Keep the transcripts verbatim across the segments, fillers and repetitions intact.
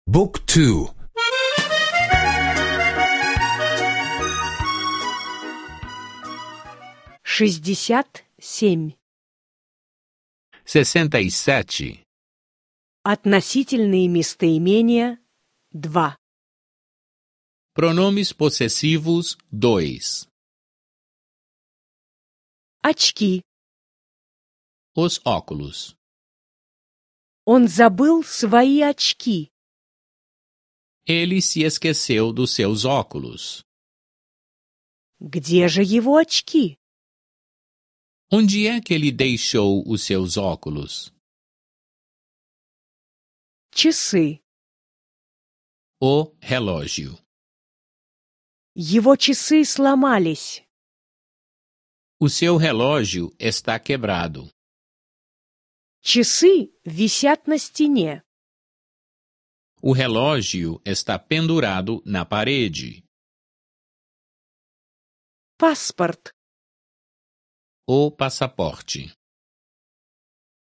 Book two. Шестьдесят семь. Sessenta e sete. Относительные местоимения два. Pronomes possessivos dois. Очки. Os óculos. Он забыл свои очки. Ele se esqueceu dos seus óculos. Где же его очки? Onde é que ele deixou os seus óculos? Часы. O relógio. Его часы сломались. O seu relógio está quebrado. Часы висят на стене. O relógio está pendurado na parede. Паспорт. O passaporte.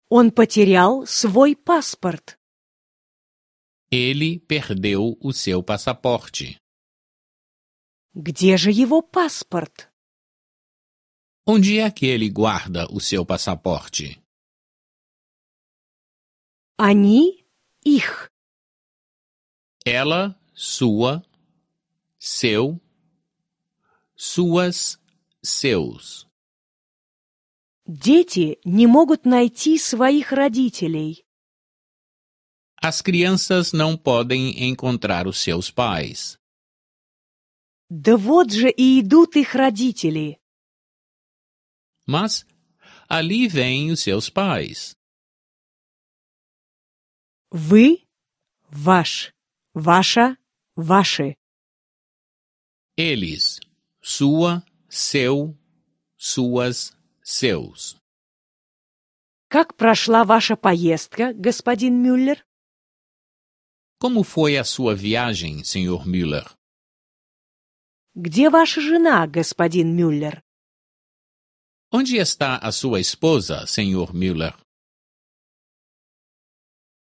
Он потерял свой паспорт. Ele perdeu o seu passaporte. Где же его паспорт? Onde é que ele guarda o seu passaporte? Они, их. Ela, sua, seu, suas, seus. Дети не могут найти своих родителей. As crianças não podem encontrar os seus pais. Да вот же и идут их родители. Mas ali vêm os seus pais. Вы, ваш, ваша, ваши. Eles, sua, seu, suas, seus. Как прошла ваша поездка, господин Мюллер? Como foi a sua viagem, senhor Müller? Где ваша жена, господин Мюллер? Onde está a sua esposa, senhor Müller?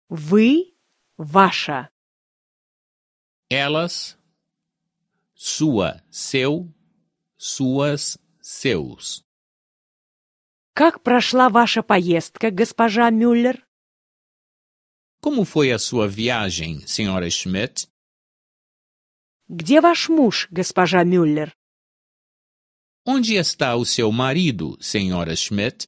Вы, ваша. Elas, sua, seu, suas, seus. Как прошла ваша поездка, госпожа Мюллер? Como foi a sua viagem, senhora Schmidt? Где ваш муж, госпожа Мюллер? Onde está o seu marido, senhora Schmidt?